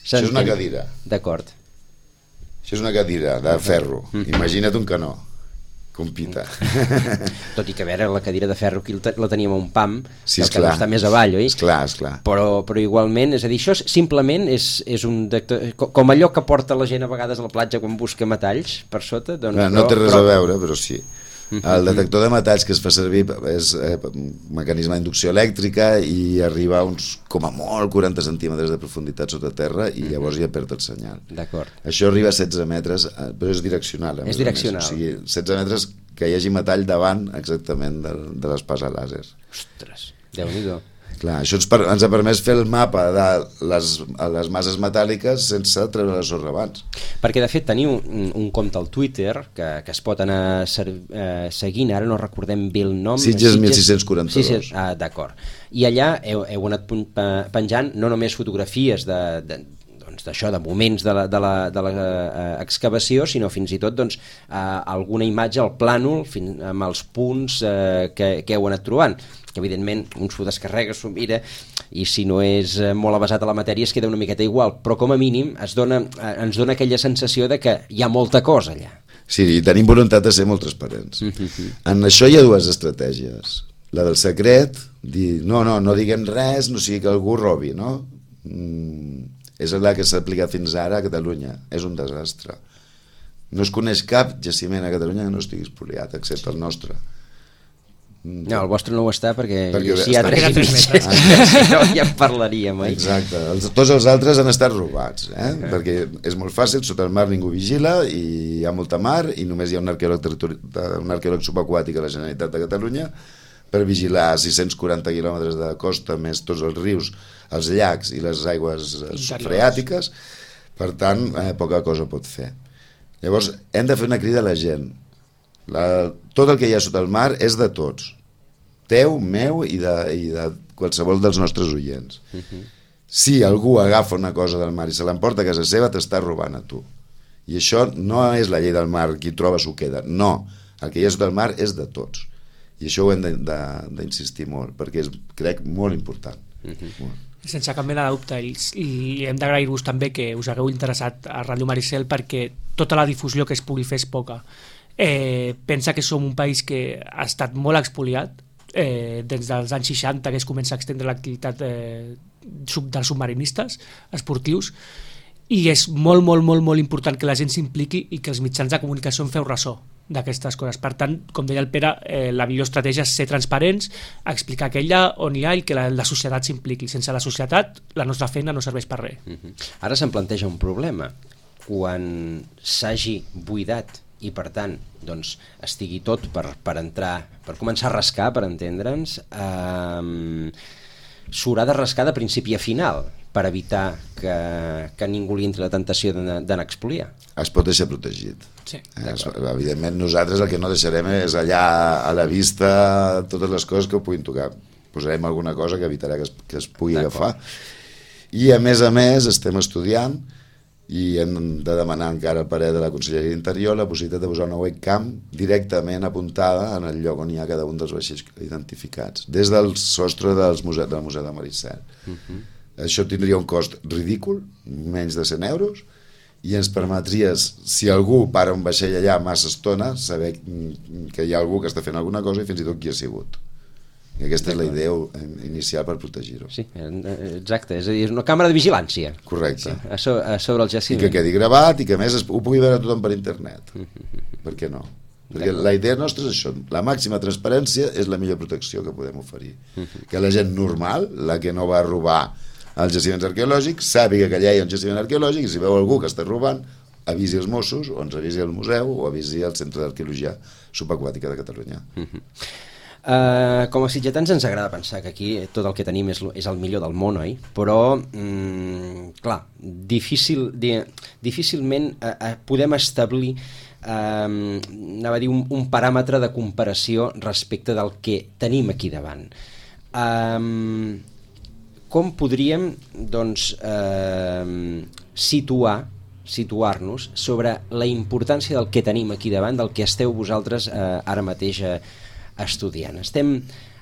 S2: Això és una cadira.
S1: D'acord.
S2: Això és una cadira de ferro. Imagina't un canó. Compita.
S1: Tot i que a veure, la cadira de ferro aquí la teníem a un pam,
S2: sí,
S1: el que no està més avall, oi?
S2: Esclar, esclar.
S1: Però, però igualment, és a dir, això simplement és, és un detector, com allò que porta la gent a vegades a la platja quan busca metalls per sota. Doncs,
S2: no, no té res però... a veure, però sí. El detector de metalls que es fa servir és eh, un mecanisme d'inducció elèctrica i arriba a uns, com a molt, quaranta centímetres de profunditat sota terra i llavors ja perd el senyal.
S1: D'acord.
S2: Això arriba a setze metres, però és direccional.
S1: És direccional.
S2: O sigui, setze metres que hi hagi metall davant exactament de, de l'espasa làser.
S1: Ostres, Déu-n'hi-do.
S2: Clar, això ens, per, ens ha permès fer el mapa de les, les masses metàl·liques sense treure la sorra abans.
S1: Perquè de fet teniu un, un compte al Twitter que, que es pot anar ser, eh, seguint, ara no recordem bé el nom.
S2: Sitges mil sis-cents quaranta-dos.
S1: Sitges, ah, d'acord. I allà heu, heu anat penjant no només fotografies de, de, doncs d'això, de moments de la, de la, de la eh, excavació, sinó fins i tot doncs, eh, alguna imatge al plànol fins, amb els punts eh, que, que heu anat trobant, que evidentment un s'ho descarrega, s'ho mira i si no és molt avasat a la matèria es queda una miqueta igual, però com a mínim es dona, eh, ens dona aquella sensació de que hi ha molta cosa allà.
S2: Sí, i tenim voluntat de ser molt transparents. Mm-hmm. En això hi ha dues estratègies. La del secret, dir no, no, no diguem res, no sigui que algú robi, no? Mm, és la que s'ha aplicat fins ara a Catalunya. És un desastre. No es coneix cap jaciment a Catalunya que no estigui espoliat, excepte el nostre.
S1: No, el vostre no ho està perquè,
S2: perquè
S1: si hi ha tres i mig no, ja en parlaríem, oi?
S2: Exacte, els, tots els altres han estat robats, eh? Uh-huh. Perquè és molt fàcil, sota el mar ningú vigila i hi ha molta mar i només hi ha un arqueòleg, un arqueòleg subaquàtic a la Generalitat de Catalunya per vigilar sis-cents quaranta quilòmetres de costa més tots els rius, els llacs i les aigües freàtiques Per tant, eh, poca cosa pot fer. Llavors, hem de fer una crida a la gent. La, tot el que hi ha sota el mar és de tots. Teu, meu i de, i de qualsevol dels nostres oients. Uh-huh. Si algú agafa una cosa del mar i se l'emporta a casa seva, t'està robant a tu. I això no és la llei del mar, qui troba s'ho queda. No, el que hi ha sota el mar és de tots. I això ho hem d'insistir molt, perquè és, crec, molt important. Uh-huh. Molt.
S3: Sense cap mena de dubte, i, i hem d'agrair-vos també que us hagueu interessat a Ràdio Maricel, perquè tota la difusió que es pugui fer és poca. Eh, pensa que som un país que ha estat molt expoliat, eh, des dels anys seixanta que es comença a extendre l'activitat eh, sub, dels submarinistes esportius, i és molt, molt, molt, molt important que la gent s'impliqui i que els mitjans de comunicació en feu ressò d'aquestes coses. Per tant, com deia el Pere, eh, la millor estratègia és ser transparents, explicar què hi ha, on hi ha, i que la, la societat s'impliqui. Sense la societat, la nostra feina no serveix per res.
S1: Uh-huh. Ara se'm planteja un problema. Quan s'hagi buidat i, per tant, doncs, estigui tot per, per entrar, per començar a rascar, per entendre'ns, eh, s'haurà de rascar de principi a final per evitar que, que ningú li entri la tentació d'anar a expoliar.
S2: Es pot deixar protegit.
S3: Sí,
S2: es, evidentment nosaltres el que no deixarem és allà a la vista totes les coses que ho puguin tocar. Posarem alguna cosa que evitarà que es, que es pugui agafar. I a més a més estem estudiant i hem de demanar encara al parer de la Conselleria d'Interior la possibilitat de posar una webcam directament apuntada en el lloc on hi ha cada un dels vaixells identificats, des del sostre dels muse del Museu de Maricel. Uh-huh. Això tindria un cost ridícul, menys de cent euros, i ens permetria, si algú para un vaixell allà massa estona, saber que hi ha algú que està fent alguna cosa i fins i tot qui ha sigut. I aquesta és la idea inicial per protegir-ho.
S1: Sí, exacte, és a dir, és una càmera de vigilància.
S2: Correcte.
S1: Sí, a, so, a sobre el jaciment.
S2: I que quedi gravat i que a més es, ho pugui veure tothom per internet. Per què no? Perquè la idea nostra és això, la màxima transparència és la millor protecció que podem oferir. Que la gent normal, la que no va robar als jaciments arqueològics, sàpiga que allà hi ha un jaciment arqueològic i si veu algú que està robant, avisi els Mossos o ens avisi el museu o avisi el Centre d'Arqueologia Subaquàtica de Catalunya.
S1: Uh, com a sitgetans ens agrada pensar que aquí tot el que tenim és, és el millor del món, oi? Però, mm, clar, difícil, di, difícilment uh, uh, podem establir um, anava a dir un, un paràmetre de comparació respecte del que tenim aquí davant. Um, com podríem, doncs, uh, situar situar-nos sobre la importància del que tenim aquí davant, del que esteu vosaltres uh, ara mateix uh, estudiant? Estem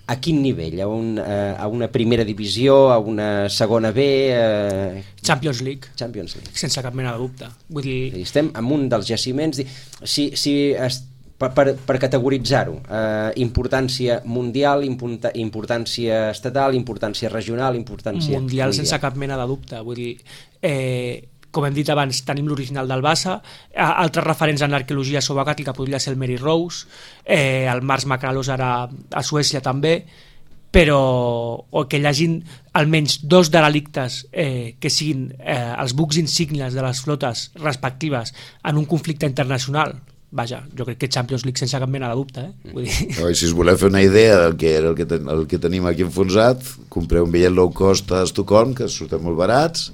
S1: a quin nivell? A, un, uh, a una primera divisió, a una segona B? Uh...
S3: Champions League.
S1: Champions League.
S3: Sense cap mena de dubte. Vull dir...
S1: Estem en un dels jaciments... Si, si es, per, per, per categoritzar-ho, uh, importància mundial, importància estatal, importància regional, importància...
S3: Mundial, mundial. Sense cap mena de dubte. Vull dir... Eh... Com hem dit abans, tenim l'original del Bassa, altres referents en l'arqueologia subaquàtica podria ser el Mary Rose, eh, el Mars Macralos ara a Suècia també, però o que hi hagin almenys dos derelictes eh, que siguin eh, els bucs insígnies de les flotes respectives en un conflicte internacional. Vaja, jo crec que Champions League sense cap mena de dubte. Eh? Vull dir...
S2: Oh, si us voleu fer una idea del que era el que, ten, el que tenim aquí enfonsat, compreu un bitllet low cost a Estocolm, que surten molt barats,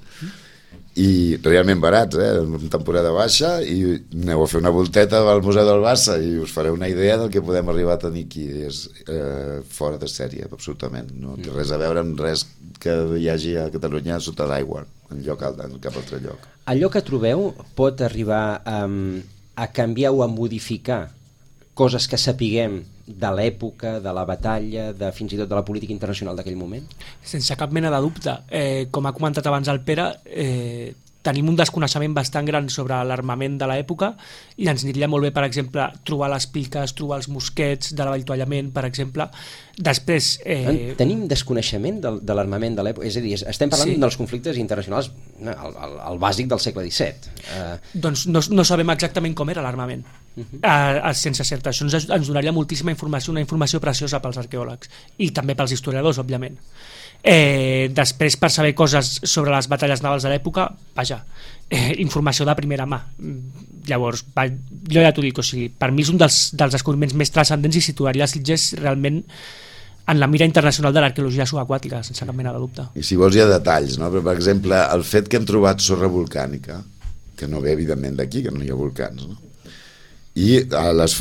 S2: i realment barats, eh? En temporada baixa, i aneu a fer una volteta al Museu del Bassa i us fareu una idea del que podem arribar a tenir aquí. És eh, fora de sèrie, absolutament. No té res a veure amb res que hi hagi a Catalunya sota l'aigua, en lloc alt, en cap altre lloc.
S1: Allò que trobeu pot arribar um, a canviar o a modificar coses que sapiguem de l'època, de la batalla, de fins i tot de la política internacional d'aquell moment?
S3: Sense cap mena de dubte. Eh, com ha comentat abans el Pere, eh, tenim un desconeixement bastant gran sobre l'armament de l'època i ens aniria molt bé, per exemple, trobar les piques, trobar els mosquets de l'avituallament, per exemple. Després...
S1: Eh... Tenim desconeixement de, de l'armament de l'època? És a dir, estem parlant sí. dels conflictes internacionals, el, el, el bàsic del segle disset. Uh...
S3: Doncs no, no sabem exactament com era l'armament. Uh-huh. uh, sense certa. Això ens, ens donaria moltíssima informació, una informació preciosa pels arqueòlegs i també pels historiadors, òbviament. Eh, després, per saber coses sobre les batalles navals de l'època, vaja, eh, informació de primera mà. Llavors, va, jo ja t'ho dic, o sigui, per mi és un dels, dels descobriments més transcendents i situaria Sitges realment en la mira internacional de l'arqueologia subaquàtica, sense cap mena de dubte.
S2: I si vols hi ha detalls, no? Però, per exemple, el fet que hem trobat sorra volcànica, que no ve evidentment d'aquí, que no hi ha volcans, no? I a les,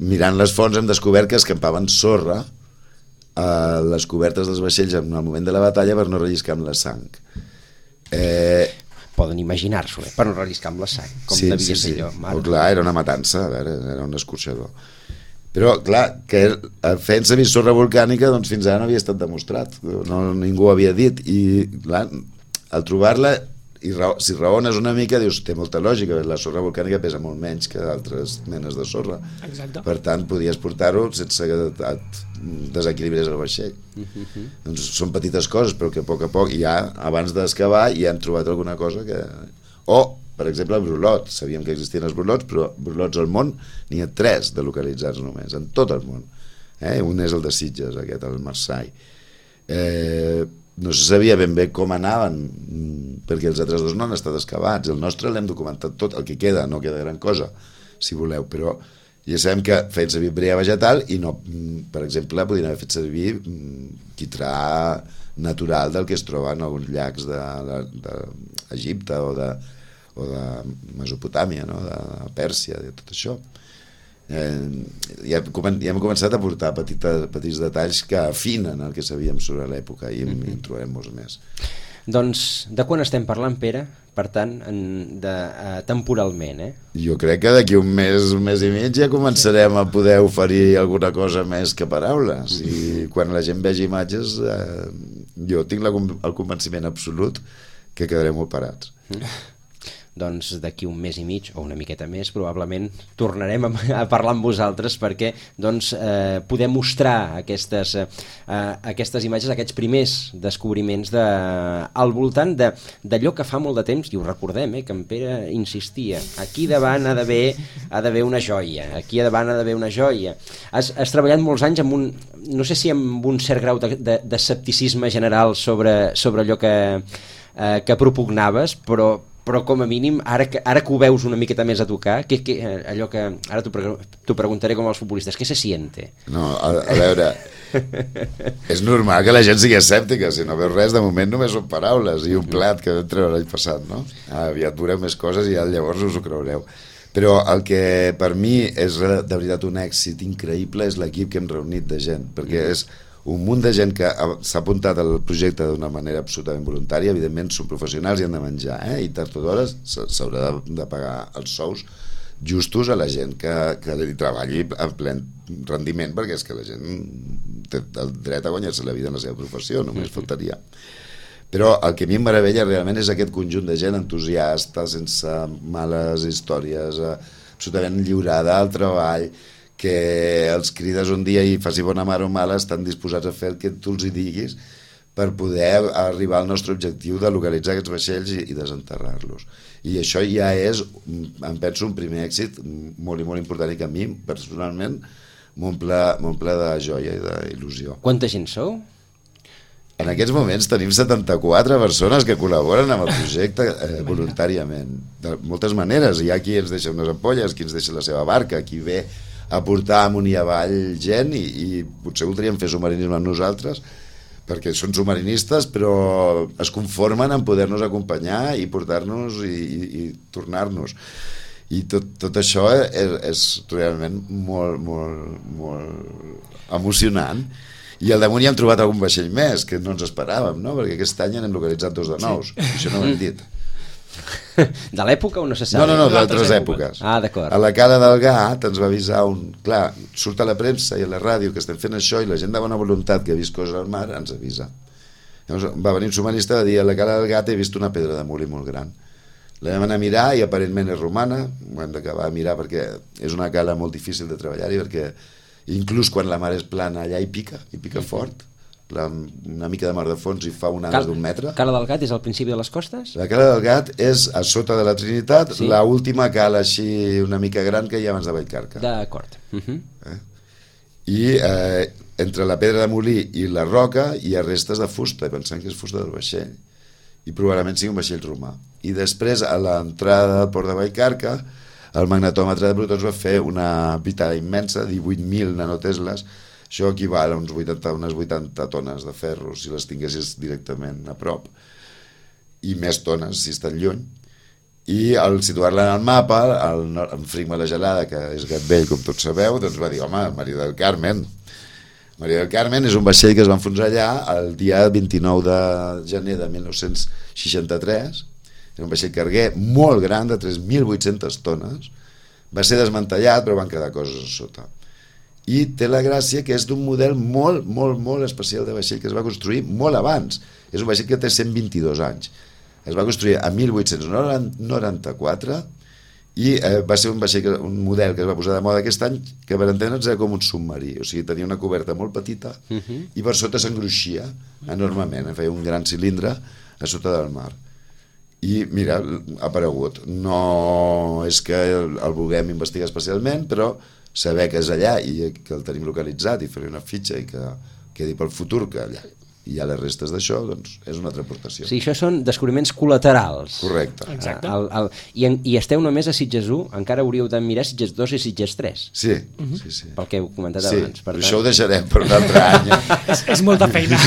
S2: mirant les fonts hem descobert que escampaven sorra a les cobertes dels vaixells en el moment de la batalla per no relliscar amb la sang. Eh...
S1: Poden imaginar-s'ho, eh? Per no relliscar amb la sang, com
S2: sí,
S1: devia
S2: sí,
S1: ser
S2: sí.
S1: allò.
S2: Oh, clar, era una matança, a veure, era un escorxador. Però, clar, que fent servir sorra volcànica, doncs fins ara no havia estat demostrat, no, ningú ho havia dit, i clar, al trobar-la, i raó, si raones una mica, dius, té molta lògica, la sorra volcànica pesa molt menys que altres menes de sorra.
S3: Exacte.
S2: Per tant, podies portar-ho sense que et desequilibres el vaixell.
S1: Uh-huh.
S2: Doncs són petites coses, però que a poc a poc, ja abans d'excavar, ja hem trobat alguna cosa que... O, per exemple, el brulot. Sabíem que existien els brulots, però brulots al món n'hi ha tres de localitzats només, en tot el món. Eh? Un és el de Sitges, aquest, el Marseille. Eh, no se sabia ben bé com anaven, perquè els altres dos no han estat excavats. El nostre l'hem documentat tot, el que queda, no queda gran cosa, si voleu, però ja sabem que feien servir brea vegetal i no, per exemple, podien haver fet servir quitrà natural del que es troba en alguns llacs d'Egipte o de o de Mesopotàmia, no? De Pèrsia, de tot això. Eh, ja, ja hem començat a portar petita, petits detalls que afinen el que sabíem sobre l'època i mm-hmm. en trobarem molts més.
S1: Doncs de quan estem parlant, Pere? Per tant, en, de, uh, temporalment, eh?
S2: Jo crec que d'aquí un mes, un mes i mig ja començarem a poder oferir alguna cosa més que paraules. I quan la gent vegi imatges, eh, jo tinc la, el convenciment absolut que quedarem molt parats.
S1: Doncs d'aquí un mes i mig o una miqueta més probablement tornarem a, a parlar amb vosaltres perquè doncs, eh, poder mostrar aquestes, eh, aquestes imatges, aquests primers descobriments de, al voltant d'allò que fa molt de temps, i ho recordem, eh, que en Pere insistia, aquí davant ha d'haver ha d'haver una joia, aquí davant ha d'haver una joia. Has, has treballat molts anys amb un, no sé si amb un cert grau de, de, d'escepticisme general sobre, sobre allò que, eh, que propugnaves, però però com a mínim, ara que, ara que ho veus una miqueta més a tocar, que, que, allò que ara t'ho preguntaré com als futbolistes, què se siente?
S2: No, a, a veure, és normal que la gent sigui escèptica, si no veus res, de moment només són paraules i un plat que vam treure l'any passat, no? Aviat veureu més coses i ja llavors us ho creureu. Però el que per mi és de veritat un èxit increïble és l'equip que hem reunit de gent, perquè és un munt de gent que s'ha apuntat al projecte d'una manera absolutament voluntària, evidentment són professionals i han de menjar, eh? I tard o d'hora s'haurà de, de pagar els sous justos a la gent que, que hi treballi en ple rendiment, perquè és que la gent té el dret a guanyar-se la vida en la seva professió, només faltaria. Però el que a mi em meravella realment és aquest conjunt de gent entusiasta, sense males històries, absolutament lliurada al treball, que els crides un dia i faci bona mar o mala, estan disposats a fer el que tu els hi diguis per poder arribar al nostre objectiu de localitzar aquests vaixells i, i desenterrar-los. I això ja és, em penso, un primer èxit molt i molt important i que a mi, personalment, m'omple de joia i d'il·lusió.
S1: Quanta gent sou?
S2: En aquests moments tenim setanta-quatre persones que col·laboren amb el projecte eh, voluntàriament. De moltes maneres. Hi ha qui ens deixa unes ampolles, qui ens deixa la seva barca, qui ve a portar amunt i avall gent i, i potser voldríem fer submarinisme amb nosaltres perquè són submarinistes però es conformen en poder-nos acompanyar i portar-nos i, i, i tornar-nos i tot, tot això és, és realment molt, molt, molt emocionant. I al damunt ja hem trobat algun vaixell més que no ens esperàvem, no? Perquè aquest any n'hem localitzat dos de nous, sí. Això no ho hem dit.
S1: De l'època o no se sap?
S2: No, no, no, d'altres èpoques.
S1: Ah, d'acord.
S2: A la Cala del Gat ens va avisar un... Clar, surt a la premsa i a la ràdio que estem fent això i la gent de bona voluntat que ha vist coses al mar ens avisa. Llavors va venir un submarinista i va dir a la Cala del Gat he vist una pedra de muli molt gran. La vam anar a mirar i aparentment és romana, ho hem d'acabar a mirar perquè és una cala molt difícil de treballar-hi perquè inclús quan la mar és plana allà hi pica, hi pica fort. La, una mica de mar de fons i fa onades d'un metre.
S1: Cala del Gat és al principi de les costes?
S2: La Cala del Gat és a sota de la Trinitat, sí. La última cala així una mica gran que hi ha abans de Vallcarca.
S1: D'acord. Uh-huh.
S2: eh? I eh, entre la pedra de molí i la roca hi ha restes de fusta, pensant que és fusta del vaixell i probablement sigui un vaixell romà. I després a l'entrada del port de Vallcarca el magnetòmetre de protons va fer una pitada immensa, divuit mil nanotesles. Això equival a uns vuitanta, unes vuitanta tones de ferro si les tinguessis directament a prop, i més tones si estan lluny. I al situar-la en el mapa, el, en Frigma la Gelada, que és gat vell, com tots sabeu, doncs va dir, home, Maria del Carmen. Maria del Carmen és un vaixell que es va enfonsar allà el dia vint-i-nou de gener de mil nou-cents seixanta-tres. Era un vaixell carguer molt gran, de tres mil vuit-centes tones. Va ser desmantellat, però van quedar coses a sota. I té la gràcia que és d'un model molt, molt, molt especial de vaixell que es va construir molt abans. És un vaixell que té cent vint-i-dos anys. Es va construir a mil vuit-cents noranta-quatre i eh, va ser un vaixell, un model que es va posar de moda aquest any, que per entendre'ns era com un submarí, o sigui, tenia una coberta molt petita uh-huh. i per sota s'engruixia enormement, feia un gran cilindre a sota del mar. I mira, ha aparegut. No és que el, el vulguem investigar especialment, però saber que és allà i que el tenim localitzat i fer-hi una fitxa i que quedi pel futur que allà hi ha les restes d'això, doncs és una altra aportació.
S1: Sí, això són descobriments col·laterals.
S2: Correcte.
S3: Exacte.
S1: El, el, i, en, I esteu només a Sitges u, encara hauríeu de mirar Sitges dos i Sitges tres.
S2: Sí, uh-huh. sí, sí.
S1: Pel que heu comentat
S2: sí,
S1: abans. Per tant...
S2: això ho deixarem per un altre any.
S3: és, és molta feina.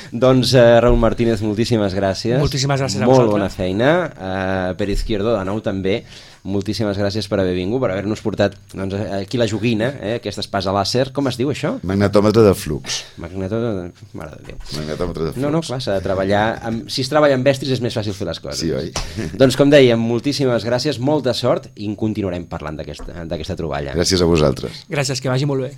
S1: Doncs uh, Raúl Martínez, moltíssimes gràcies.
S3: Moltíssimes gràcies a
S1: Molt
S3: vosaltres.
S1: bona feina. Uh, per Izquierdo, de nou també. Moltíssimes gràcies per haver vingut, per haver-nos portat doncs, aquí la joguina, eh, aquesta espasa làser. Com es diu això?
S2: Magnetòmetre de flux.
S1: Magnetòmetre... Mare de Déu.
S2: Magnetòmetre de flux.
S1: No, no, clar, s'ha de treballar... Amb... Si es treballa amb estris és més fàcil fer les coses.
S2: Sí, oi?
S1: Doncs com dèiem, moltíssimes gràcies, molta sort i en continuarem parlant d'aquesta troballa.
S2: Gràcies a vosaltres.
S3: Gràcies, que vagi molt bé.